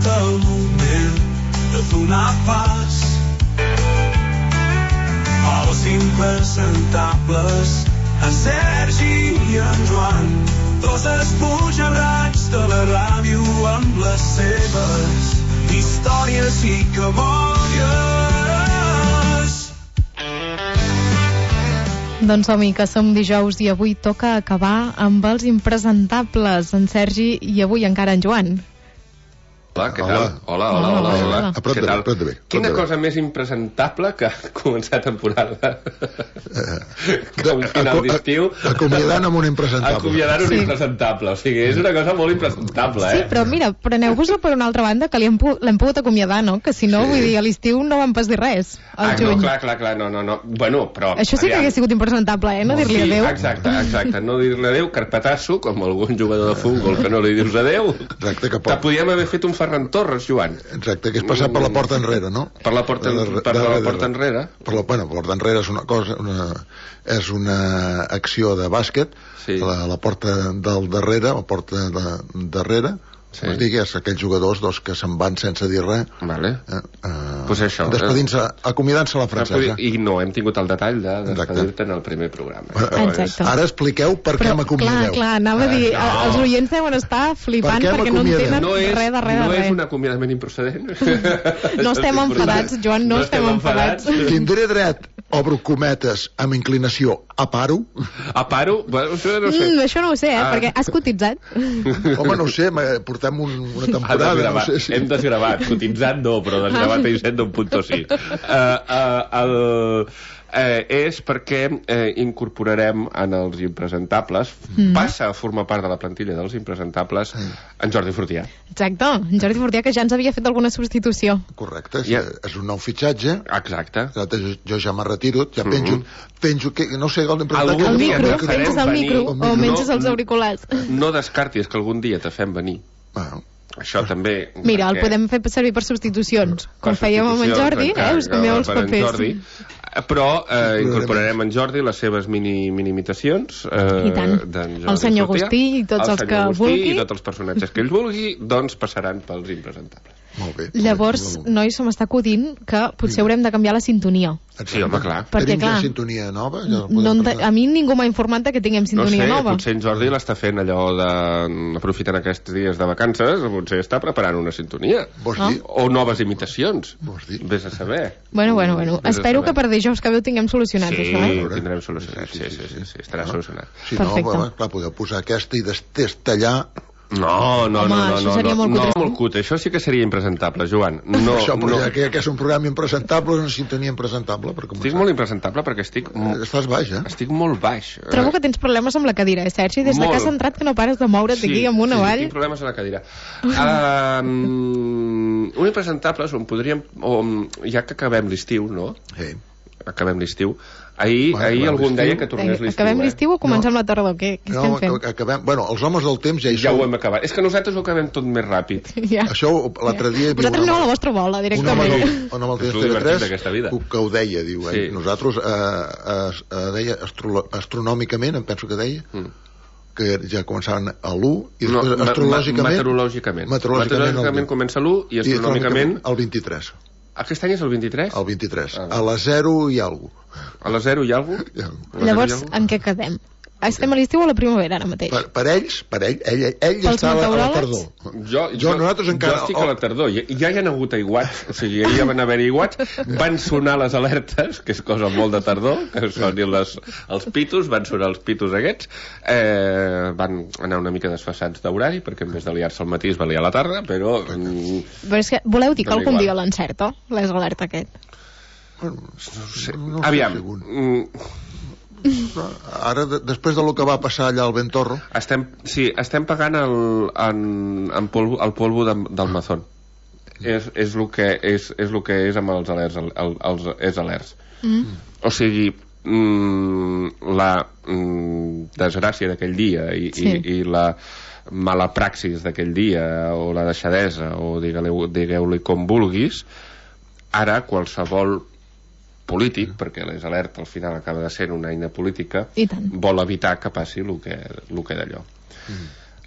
el moment de donar pas als impresentables, en Sergi i en Joan, dos espujarrats de la ràdio amb les seves històries i cabòries. Doncs som-hi, que som dijous i avui toca acabar amb els impresentables, en Sergi i avui encara en Joan. Hola, què tal? Hola. A prop de bé. Quina cosa més impresentable que començar temporada com final d'estiu acomiadant amb un impresentable. Impresentable, o sigui, és una cosa molt impresentable, Sí, però mira, preneu-vos-ho per una altra banda, que l'hem pogut acomiadar, no? Que si no, vull dir, a l'estiu no vam pas dir res, al juny. No, clar, no. Bueno, però... Això sí que hagués sigut impresentable, no dir-li adéu. Exacte, no dir-li adéu, carpetasso, com algun jugador de futbol que no li dius adéu. Exacte, que podíem haver fet un Ferran Torres, Joan. Exacte, que és passar per la porta enrere, no? Per la porta enrere. La porta enrere és una cosa, és una acció de bàsquet, la porta del darrere, la porta de darrere, és aquells jugadors que se'n van sense dir res. Vale. Pues això. Despedint-se, acomiadant-se la francesa. I no hem tingut el detall de despedir-te en el primer programa. Exacte. Ara expliqueu per què m'acomiadeu. Clar, anava a dir, els oients deuen estar flipant perquè no entenen res de res. No és un acomiadament improcedent. No estem enfadats, Joan, no estem enfadats. Tindré dret, obro cometes, amb inclinació, a paro? A paro? Bueno, això no ho sé. Això no ho sé, perquè has cotitzat. Home, no ho sé, portem una temporada. Hem desgravat, cotitzat no, però desgravat a Hisenda un punt sí. És perquè incorporarem en els impresentables, passa a formar part de la plantilla dels impresentables, en Jordi Fortià. Exacte, en Jordi Fortià, que ja ens havia fet alguna substitució. Correcte, és un nou fitxatge. Exacte. Jo ja m'he retirat, ja penjo que, no sé, el micro, penges el micro o menges els auriculars. No descartis que algun dia te fem venir. Això també... Mira, el podem fer servir per substitucions, com fèiem amb en Jordi, us canvieu els papers. Però incorporarem en Jordi les seves mini-imitacions. I tant. El senyor Agustí i tots els que vulgui. I tots els personatges que ell vulgui, doncs passaran pels impresentables. Molt bé. Llavors, nois, se m'està acudint que potser haurem de canviar la sintonia. Sí, home, clar. Tenim ja sintonia nova? A mi ningú m'ha informat que tinguem sintonia nova. No sé, potser en Jordi l'està fent allò aprofitant aquests dies de vacances, potser està preparant una sintonia. O noves imitacions. Vés a saber. Bueno. Espero que per dijous que veu tinguem solucionat això, Sí, ho tindrem solucionat. Sí, estarà solucionat. Si no, clar, podeu posar aquesta i destellar. No, això seria molt cutre. Això sí que seria impresentable, Joan. Això, però ja que és un programa impresentable, una sintonia impresentable. Estic molt impresentable perquè estic... Estàs baix, Estic molt baix. Trobo que tens problemes amb la cadira, Sergi? Des que has entrat que no pares de moure't aquí amunt avall. Sí, tinc problemes a la cadira. Un impresentable, ja que acabem l'estiu, no? Sí. Acabem l'estiu. Ahir algun deia que tornés l'estiu. Acabem l'estiu o comencem la tardor? Què estem fent? Bueno, els homes del temps ja hi són. Ja ho hem acabat. És que nosaltres ho acabem tot més ràpid. Això l'altre dia... Vosaltres aneu a la vostra bola, directament. Un home del TV3 que ho deia, diu, nosaltres deia astronòmicament, em penso que deia, que ja començaven a l'1 i després meteorològicament comença l'1 i astronòmicament el 23. Aquest any és el 23? El 23, a la 0 i alguna cosa. A la 0 i alguna cosa? Llavors, en què quedem? Estem a l'estiu o a la primavera ara mateix? Per ell està a la tardor. Nosaltres encara... Jo estic a la tardor. Ja hi ha hagut aiguats, o sigui, ja van haver aiguats, van sonar les alertes, que és cosa molt de tardor, que sonin els pitos, van sonar els pitos aquests, van anar una mica desfassats d'horari, perquè en vez de liar-se al matí es va liar a la tarda, però... Però és que voleu dir que algun dia l'encerta, l'alerta aquest? No sé. Aviam... Ara, després del que va passar allà al Ventorro... Estem pagant el polvo del Mazón. És el que és amb els alerts. O sigui, la desgràcia d'aquell dia i la mala praxis d'aquell dia, o la deixadesa, o digueu-li com vulguis, ara qualsevol polític, perquè les alertes al final acaba de ser una eina política, vol evitar que passi el que d'allò.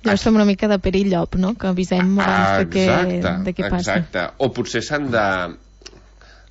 Llavors fem una mica de perillop, no? Que avisem abans de què passa. Exacte. O potser s'han de...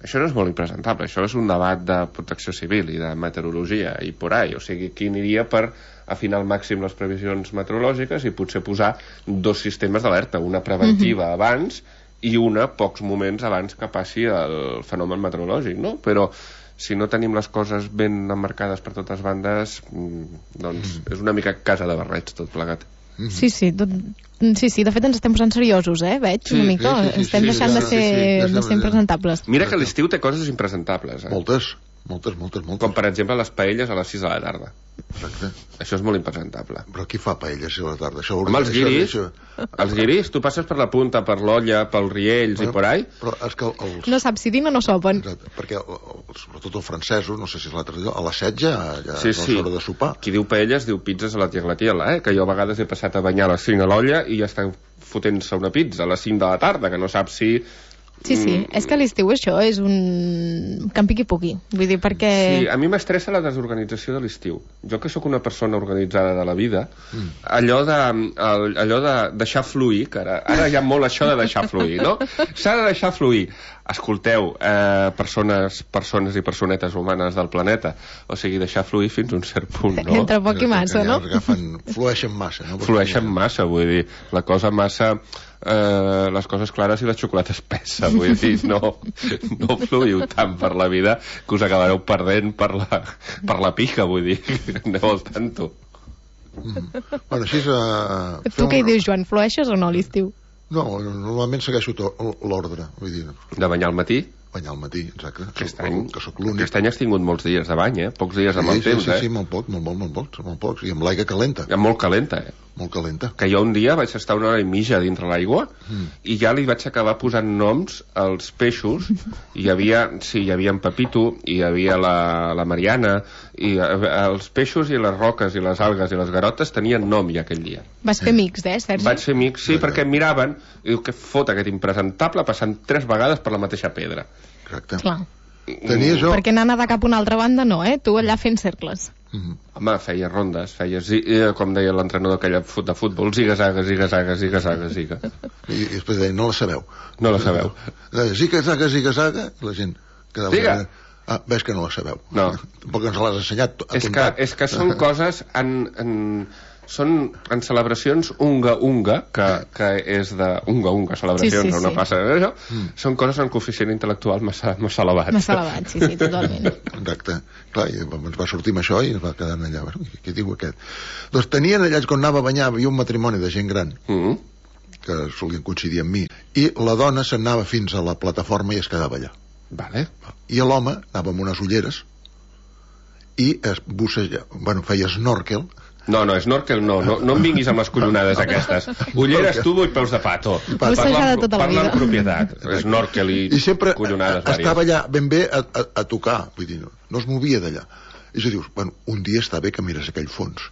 Això no és molt impresentable, això és un debat de protecció civil i de meteorologia i por ahí, o sigui, qui aniria per afinar al màxim les previsions meteorològiques i potser posar 2 sistemes d'alerta, una preventiva abans i una pocs moments abans que passi el fenomen meteorològic, no? Però si no tenim les coses ben emmarcades per totes bandes, doncs és una mica casa de barrets tot plegat. Sí, de fet ens estem posant seriosos, veig, una mica. Estem deixant de ser impresentables. Mira que l'estiu té coses impresentables. Moltes. Com per exemple les paelles a les 6 de la tarda. Exacte. Això és molt impresentable. Però qui fa paelles a la tarda? Home, els guiris, tu passes per la punta, per l'Olla, pels Riells i por ahí. Però és que no saps si dinen o sopen. Exacte, perquè sobretot els francesos, no sé si és l'altre dia, a les 7 ja és hora de sopar. Qui diu paelles diu pizzas a la tiaglatiela, que jo a vegades he passat a banyar a les 5 a l'Olla i ja estan fotent-se una pizza a les 5 de la tarda, que no saps si... Sí, és que a l'estiu això és un campi qui pugui, vull dir, perquè... Sí, a mi m'estressa la desorganització de l'estiu. Jo que sóc una persona organitzada de la vida, allò de deixar fluir, que ara hi ha molt això de deixar fluir, no? S'ha de deixar fluir. Escolteu, persones i personetes humanes del planeta, o sigui, deixar fluir fins a un cert punt, no? Entre poc i massa, no? Flueixen massa, no? Flueixen massa, vull dir, la cosa massa... les coses clares i la xocolata espessa, vull dir, no fluïu tant per la vida que us acabareu perdent per la pica, vull dir, aneu al tanto. Bueno, així tu què hi dius, Joan, flueixes o no a l'estiu? No, normalment segueixo l'ordre, vull dir... De banyar al matí? Banyar al matí, exacte. Aquest any has tingut molts dies de bany, pocs dies amb el temps, Sí, molt pocs, i amb l'aigua calenta. Molt calenta, Molt calenta. Que jo un dia vaig estar una hora i mitja dintre l'aigua i ja li vaig acabar posant noms als peixos. Hi havia en Pepito, hi havia la Mariana, i els peixos i les roques i les algues i les garotes tenien nom ja aquell dia. Vas fer amics, Sergi? Vaig fer amics, sí, perquè em miraven i diu, què fot aquest impresentable passant 3 vegades per la mateixa pedra. Exacte. Clar. Tenia jo... Perquè anar a nedar cap a una altra banda no, tu allà fent cercles. Home, feia rondes, com deia l'entrenador aquell de futbol, ziga-zaga. I després deia, no la sabeu. Ziga-zaga, i la gent quedava... Diga! Ves que no la sabeu. No. Tampoc ens l'has ensenyat. És que són coses són en celebracions unga, que és de unga, celebracions, no passa això, són coses en coeficient intel·lectual massa elevat. Massa elevat, sí, totalment. Exacte. Clar, i ens va sortir amb això i ens va quedar allà. Què diu aquest? Doncs tenien allà, quan anava a banyar, hi havia un matrimoni de gent gran, que solien coincidir amb mi, i la dona s'anava fins a la plataforma i es quedava allà. Vale. I l'home anava amb unes ulleres i es bussejava, feia snorkel. No, snorkel no em vinguis amb les collonades aquestes. Ulleres, tubo i peus de pato. Parla amb propietat. Snorkel i collonades vàries. Estava allà ben bé a tocar, vull dir, no es movia d'allà. I dius, un dia està bé que mires aquell fons.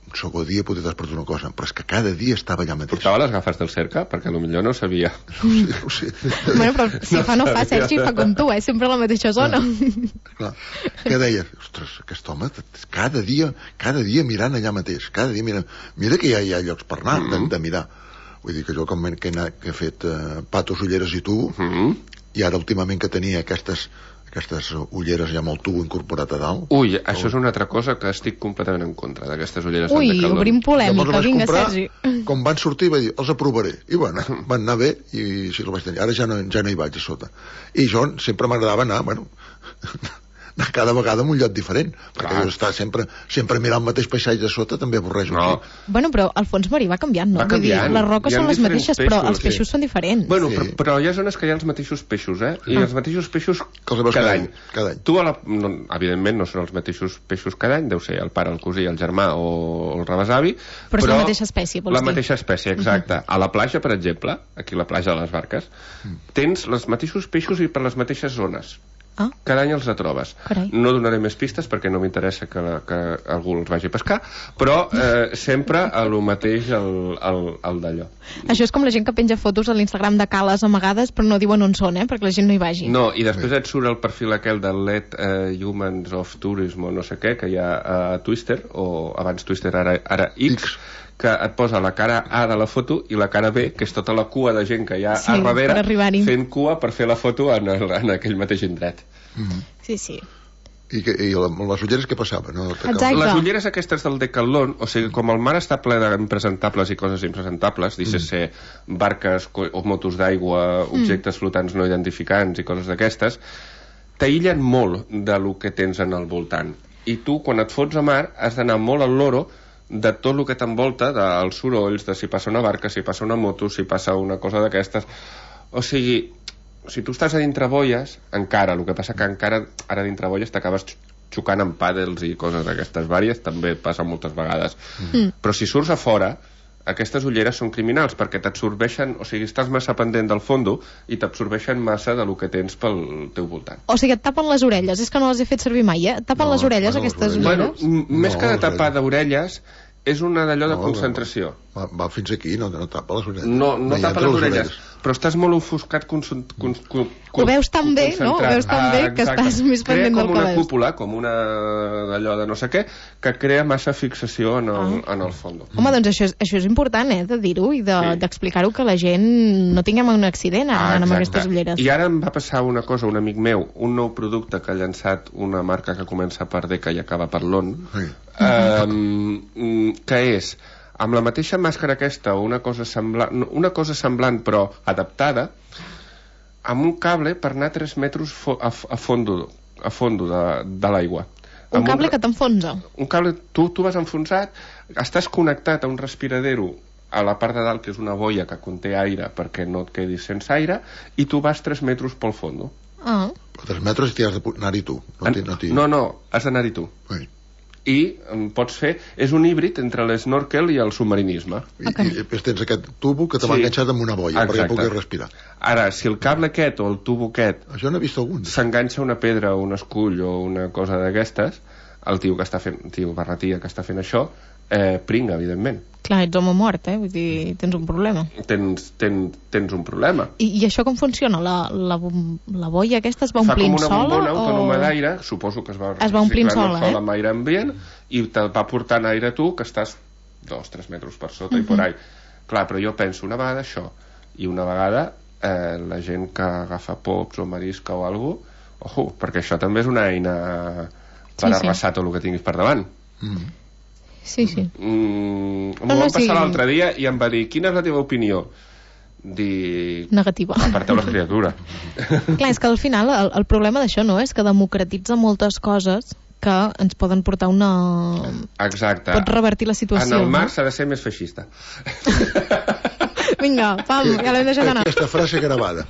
Un segon dia potser t'has perdut una cosa, però és que cada dia estava allà mateix. Portava les gafes del cerca? Perquè potser no sabia. No sé. Bueno, però si fa no fa, Sergi fa com tu, sempre a la mateixa zona. Clar. Què deies? Ostres, aquest home cada dia mirant allà mateix, cada dia mirant. Mira que ja hi ha llocs per anar de mirar. Vull dir que jo com que he fet patos, ulleres i tubo, i ara últimament que tenia aquestes ulleres ja amb el tubo incorporat a dalt. Ui, això és una altra cosa que estic completament en contra, d'aquestes ulleres. Ui, obrim polèmica, vinga, Sergi. Com van sortir vaig dir, els aprovaré, i van anar bé i sí, el vaig tenir. Ara ja no hi vaig a sota, i jo sempre m'agradava anar cada vegada en un lloc diferent, perquè estar sempre mirant el mateix paisatge a sota també avorreix un xic. Bueno, però el fons marí va canviant, no? Vull dir, les roques són les mateixes, però els peixos són diferents. Bueno, però hi ha zones que hi ha els mateixos peixos, i els mateixos peixos cada any. Tu, evidentment, no són els mateixos peixos cada any, deu ser el pare, el cosí, el germà o el rebesavi, però és la mateixa espècie, vols dir? La mateixa espècie, exacte. A la platja, per exemple, aquí a la platja de les Barques, tens els mateixos peixos i per les mateixes zones. Cada any els trobes. No donaré més pistes perquè no m'interessa que algú els vagi a pescar, però sempre el mateix el d'allò. Això és com la gent que penja fotos a l'Instagram de cales amagades però no diuen on són, perquè la gent no hi vagi. No, i després et surt el perfil aquell del Let Humans of Tourism o no sé què, que hi ha a Twitter, o abans Twitter, ara X, que et posa la cara A de la foto i la cara B, que és tota la cua de gent que hi ha a darrere fent cua per fer la foto en aquell mateix indret. Sí. I les ulleres què passava? No? Les ulleres aquestes del Decathlon, o sigui, com el mar està ple d'impresentables i coses impresentables, ser barques o motos d'aigua, objectes flotants no identificants i coses d'aquestes, t'aïllen molt del que tens en el voltant. I tu, quan et fots a mar, has d'anar molt al loro de tot el que t'envolta, dels sorolls, de si passa una barca, si passa una moto, si passa una cosa d'aquestes. O sigui, si tu estàs a dintre boies, encara, el que passa que encara ara dintre boies t'acabes xocant amb pàdels i coses d'aquestes vàries, també passa moltes vegades. Però si surts a fora, aquestes ulleres són criminals, perquè t'absorbeixen, o sigui, estàs massa pendent del fondo i t'absorbeixen massa de lo que tens pel teu voltant. O sigui, et tapen les orelles, és que no les he fet servir mai, Tapen les orelles, aquestes ulleres? Més que de tapar d'orelles, és una d'allò de concentració. Va fins aquí, no tapa les orelles. No tapa les orelles, però estàs molt ofuscat, ho veus tan bé, no? Ho veus tan bé que estàs més pendent del que veus. Crea com una cúpula, com una d'allò de no sé què, que crea massa fixació en el fons. Home, doncs això és important, de dir-ho i d'explicar-ho, que la gent no tinguem un accident anant amb aquestes ulleres. I ara em va passar una cosa, un amic meu, un nou producte que ha llançat una marca que comença per D i acaba per LON, que és amb la mateixa màscara aquesta o una cosa semblant però adaptada, amb un cable per anar 3 metres a fondo de l'aigua. Un cable que t'enfonsa. Un cable, tu vas enfonsat, estàs connectat a un respiradero a la part de dalt, que és una boia que conté aire perquè no et quedis sense aire, i tu vas 3 metres pel fondo. Però 3 metres i has d'anar-hi tu. No, has d'anar-hi tu. I pots fer... És un híbrid entre l'esnorkel i el submarinisme. I tens aquest tubo que te va enganxat amb una boia perquè puguis respirar. Ara, si el cable aquest o el tubo aquest això n'he vist algun s'enganxa una pedra o un escull o una cosa d'aquestes, el tio barratia que està fent això pringa, evidentment. Clar, ets home mort, vull dir, tens un problema. Tens un problema. I això com funciona? La boia aquesta es va omplint sola? Fa com una bombona autònoma d'aire, suposo que es va omplint sola, amb aire ambient, i te va portant aire tu, que estàs 2-3 metres per sota i por ahí. Clar, però jo penso, una vegada això, i una vegada la gent que agafa pops o marisca o alguna cosa, perquè això també és una eina per arrasar tot el que tinguis per davant. Sí. M'ho va passar l'altre dia i em va dir, quina és la teva opinió? Negativa. Aparteu la criatura. Clar, és que al final el problema d'això no és que democratitza moltes coses que ens poden portar una... Exacte. Pot revertir la situació. En el mar s'ha de ser més feixista. Vinga, pam, ja l'hem deixat anar. Aquesta frase gravada.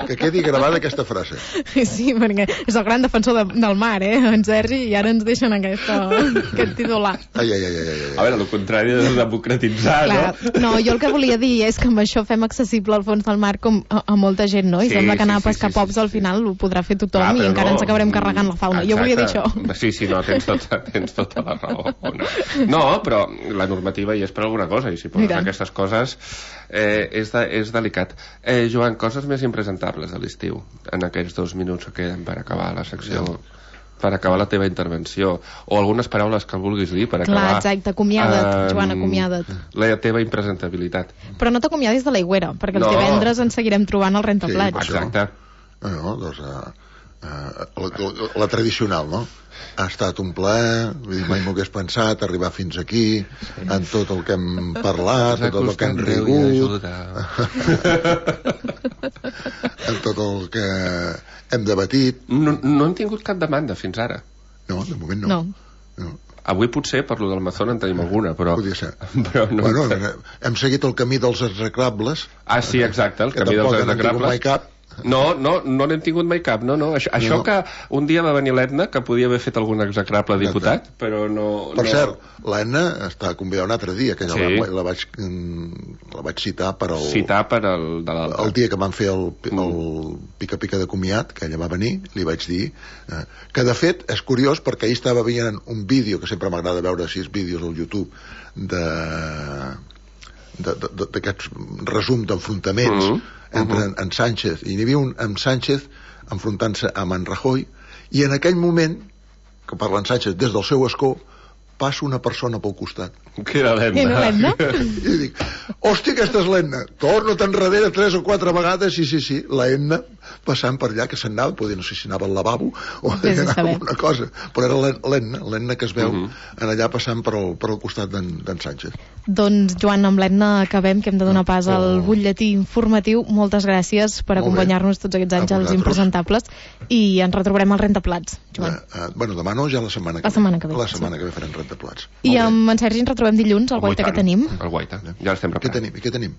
Que quedi gravada aquesta frase. Sí, perquè és el gran defensor del mar, en Sergi, i ara ens deixen aquest titular. Ai. A veure, el contrari de democratitzar, clar, no, jo el que volia dir és que amb això fem accessible al fons del mar com a molta gent, no? I sembla que anar a pescar pops al final ho podrà fer tothom i encara ens acabarem carregant la fauna. Jo volia dir això. Sí, no, tens tota la raó. No, però la normativa hi és per alguna cosa, i si poses aquestes coses és delicat. Joan, coses més impresentables a l'estiu en aquests 2 minuts que queden per acabar la secció, per acabar la teva intervenció, o algunes paraules que vulguis dir per acabar. Clar, exacte, acomiada't, Joan, acomiada't. La teva impresentabilitat. Però no t'acomiadis de l'aigüera, perquè els divendres ens seguirem trobant al Rentaplats. Exacte. No, doncs la tradicional, no? Ha estat un plaer, mai m'ho hagués pensat arribar fins aquí, en tot el que hem parlat, tot el que hem rigut, en tot el que hem debatit. No hem tingut cap demanda fins ara. No, de moment no. Avui potser per lo del Mazón en tenim alguna, però... Podria ser. Però no hem seguit el camí dels execrables. Sí, exacte, el camí dels execrables. No n'hem tingut mai cap, no. Això que un dia va venir l'Edna, que podia haver fet algun execrable diputat, però no... Per cert, l'Edna està convidada un altre dia, que la vaig citar per el dia que van fer el pica-pica de comiat, que ella va venir, li vaig dir que de fet és curiós perquè ahir estava veient un vídeo, que sempre m'agrada veure 6 vídeos al YouTube d'aquests resum d'enfrontaments entre en Sánchez, i n'hi havia un amb Sánchez enfrontant-se amb en Rajoy, i en aquell moment que parla en Sánchez des del seu escó passa una persona pel costat Que era l'Edna. I no l'Edna? I dic, hòstia, aquesta és l'Edna. Torno-te enrere 3 o 4 vegades, sí, l'Edna, passant per allà, que se'n anava, poder no sé si anava al lavabo o anava alguna cosa, però era l'Edna que es veu en allà passant per al costat d'en Sánchez. Doncs, Joan, amb l'Edna acabem, que hem de donar pas al butlletí informatiu. Moltes gràcies per acompanyar-nos tots aquests anys als Impresentables, i ens retrobarem al Rentaplats, Joan. Bueno, demà no, ja la setmana que ve. La setmana que ve farem Rentaplats. I amb en Sergi ens retrobem dilluns, al Guaita que tenim. El Guaita, ja l'estem preparant. Què tenim?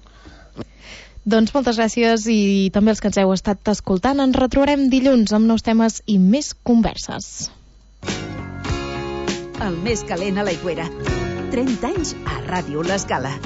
Doncs moltes gràcies, i també els que ens heu estat escoltant. Ens retrobarem dilluns amb nous temes i més converses. El més calent a l'Aigüera. 30 anys a Ràdio L'Escala.